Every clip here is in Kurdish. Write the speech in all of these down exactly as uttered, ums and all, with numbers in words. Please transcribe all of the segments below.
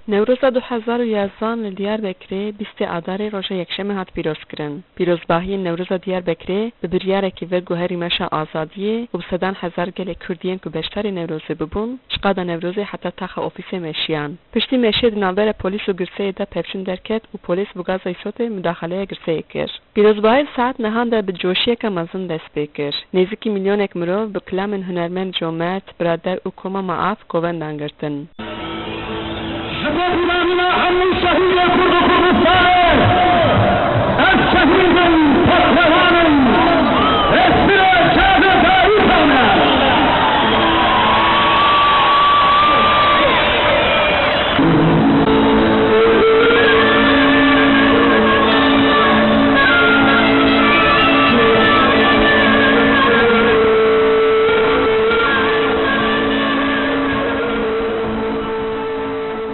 Newroza du hezar û yazdan li Diyarbekirê bîstê Adarê roja Yekşemê hat pîrozkirin. Pîrozbahiyên Newroza Diyarbekirê bi biryarekî ve guherî meşa azadiyê û bi sedan hezar gelê Kurd yên ku beşdarî Newrozê bibûn, ji qada Newrozê heta taxa ofîsê meşiyan. Piştî meşê di navbera polîs û girseyê de pevçûn derket û polîs bi gaza îsotê mudaxaleya girseyê kir. Pîrozbahî li saet nehan de bi coşiyeke mezin dest pê kir. Nêzîkî milyonek mirov bi kilamên hunermend Comert, Birader û Koma Maaf kovendan girtin. Ji bo bîranîna hemû şehîdê Kurd û Kurdistanê, ez şehîd im, pehlewan im, hêstirê çavê dayika me.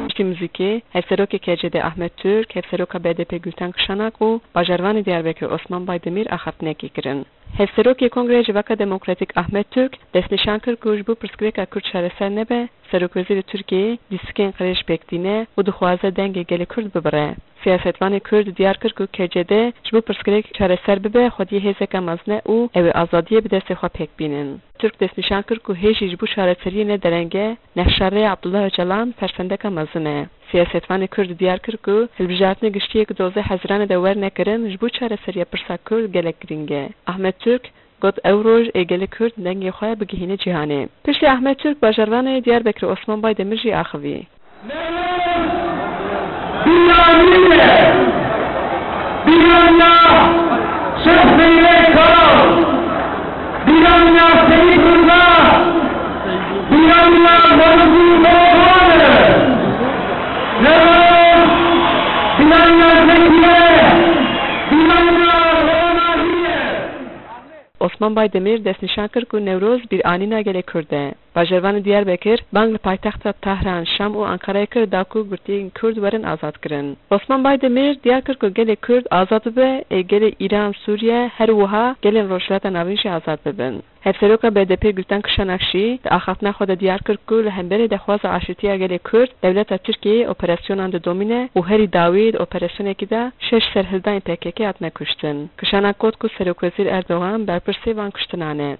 Piştî muzîkê, Hevserokê K C D Ahmet Türk, Hevseroka B D P Gülten Kişanak û Bajarvanê Diyarbekir Osman Baydemîr axaftinekê kirin. Hevserokê Kongreya Civaka Demokratîk Ahmet Türk destnîşan kir ku ji bo pirsgirêka Kurd çareser nebe, Serokwezîrê Tirkiyeyê lîstikên qirêj pêk tîne û dixwaze dengê gelê Kurd bibire. Siyasetvanê Kurd diyar kir ku K C D ji bo pirsgirêk çareser bibe, xwediyê hêzeke mezin e û ew ê azadiyê bi destê xwe pêk bînin. Türk destnîşan kir ku hêjî ji bo çareseriyê ne dereng e, nexşa rê Abdullah Ocalan fersendeke mezin e. Siyasetvanê Kurd diyar kir ku hilbijartinê giştî yê ku dozdeh Hezîranê de werne kirin, ji bo çareseriya pirsa Kurd gelek girîng e. Ahmet Türk got, ew roj ê gelê Kurd dengê xwe bigihîne cîhanê. Piştî Ahmet Türk, bajarvanê Diyarbekirê Osman Baydemir jî axivî. Bîranî ye. Bîraniya Şêx Zeynê Kal. Bîraniya Seyîd Riza. Bîraniya Mewlûdî Merevan e. Newroz bîraniya Zekî ye. Bîraniya Ronahî ye. Osman Baydemîr destnîşan kir ku Newroz bîranîna gelê Kurd e. Bajarvanê Diyarbekir bang li paytexta Tahran, Şam û Ankarayê kir da ku girtiyên Kurd werin azadkirin. Osman Baydemîr diyar kir ku gelê Kurd azad bibe, ê gelê Îran, Sûriye, her wiha gelên Rojhilata Navîn jî azad bibin. Hevseroka B D P Gülten Kişanak jî di axaftina xwe de diyar kir ku li hemberî daxwaza aşîtiya gelê Kurd, dewleta Tirkiyeyê operasyonan didomîne û herî dawî di operasyonekî de şeş serhildayên P K K hatine kuştin. Kişanak got ku Serokwezîr Erdogan berpirsê van kuştinan e.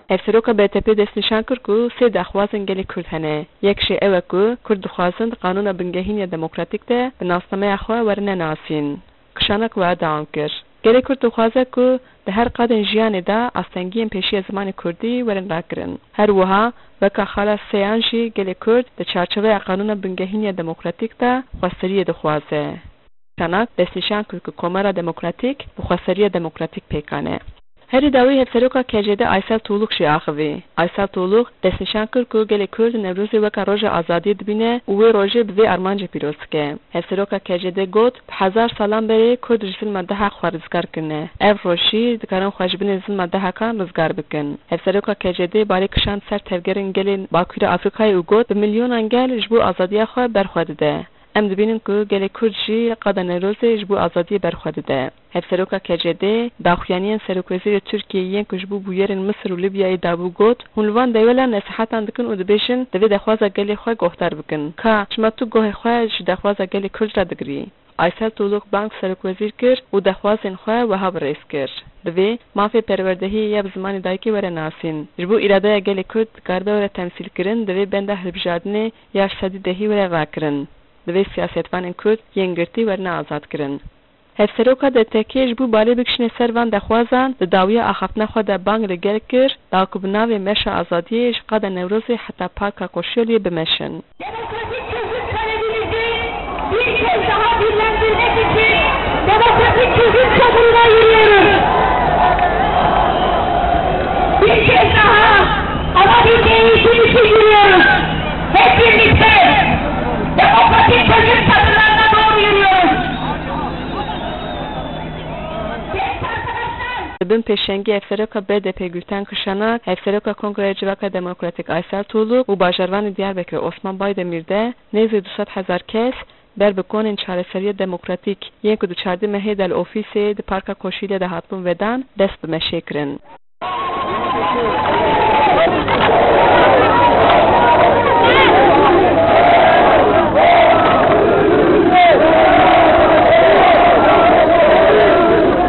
Hevseroka B D P destnîşan kir ku sê daxwazên gelê Kurd hene. Yek jê ew e ku Kurd dixwazin di qanûna bingehîn ya demokratîk de bi nasnameya xwe werine nasîn. Kişanak wiha dewam kir, gelê Kurd dixwaze ku di her qadên jiyanê de astengiyên pêşiya zimanê Kurdî werin rakirin. Her wiha weka xala sêyan jî gelê Kurd di çarçoveya qanûna bingehîn ya demokratîk de xweseriyê dixwaze. Kişanak destnîşan kir ku Komara Demokratîk bi xweseriya demokratîk pêkan e. Herî dawî Hevseroka K C D Aysel Tuğluk jî axivî. Aysel Tuğluk destnîşan kir ku gelê Kurd Newrozê weka roja azadiyê dibîne û wê rojê bi vê armancê pîroz dike. Hevseroka K C D got, bi hezar salan berê Kurd ji zilma deha xwe rizgar kirine. Ev roj jî dikarin xwe ji binê zilma dehakan rizgar bikin. Hevseroka K C D balê kişand ser tevgerên gelên Bakurê Afrîkayê û got, bi milyonan gel ji bo azadiya xwe ber xwe dide. Em dibînin ku gelê Kurd jî qada Newrozê ji bo azadiyê ber xwe dide. Hevseroka K C D daxuyaniyên Serokwezîrê Tirkiyeyê yên ku ji bo bûyerên Misir û Libyayê dabû got, hûn li van dewelan nesîhetan dikin û dibêjin, divê daxwaza gelê xwe guhdar bikin. Ka çima tu guhê xwe ji daxwaza gelê Kurd re digirî? Aysel Tuğluk bang Serokwezîr kir û daxwazên xwe wiha bi rêz kir, divê mafê perwerdehiyê ya bi zimanê dayikê were nasîn. Ji bo îradeya gelê Kurd dikaribe were temsîlkirin, divê benda hilbijardinê ya ji sedî dehî were rakirin. Divê siyasetvanên Kurd yên girtî werine azadkirin. Hevseroka D T K ji bo balê bikişîne ser van daxwazan, di dawiya axaftina xwe de bang li gel kir, da ku bi navê Meşa Azadiyê ji qada Newrozê heta Parka Koşyoliyê bimeşin. Demokratik çözüm talebimizi bir kez daha dillendirmek için demokratik çözüm çamuruna yürüyoruz. Bir kez daha ana dilde eğitim için yürüyoruz. Hep birlikte demokratik çözüm çadırlarına doğru yürüyoruz. Genç arkadaşlar. Di bin pêşengî Hevseroka B D P Gülten Kişanak, Hevseroka Kongreya Civaka Demokratîk Aysel Tuğluk û bajarvanê Diyarbekirê Osman Baydemîr de nêzî du sed hezar kes ber bi konên çareseriya demokratîk yên ku di çardeh mehê de li ofîsê di Parka Koşîlê de hatibûn vedan, dest bi meşê kirin.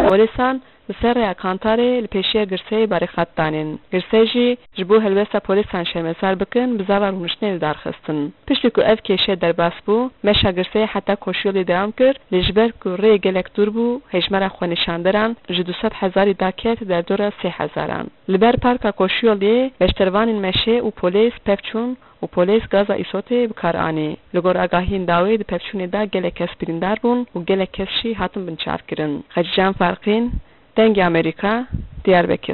Polîsan li ser rêya Kantarê li pêşiya girseyê barîxat danîn. Girsey jî ji bo helwesta polîsan şermezar bikin, bi zava rûniştinê li dar xistin. Piştî ku ev kêşe derbas bû, meşa girseyê heta Koşyolê dewam kir, lê ji ber ku rê gelek dûr bû, hejmara xwenîşanderan ji du sed hezarî daket derdora sê hezaran. Li ber Parka Koşyolê beşdervanên meşê û polês pevçûn û polês gaza îsotê bi kar anî. Li gor agahiyên dawî di pevçûnê de gelek kes birîndar bûn û gelek kes jî hatin binçavkirin. Xecîcan Farqîn, Dengê Amerîka, Diyarbekir.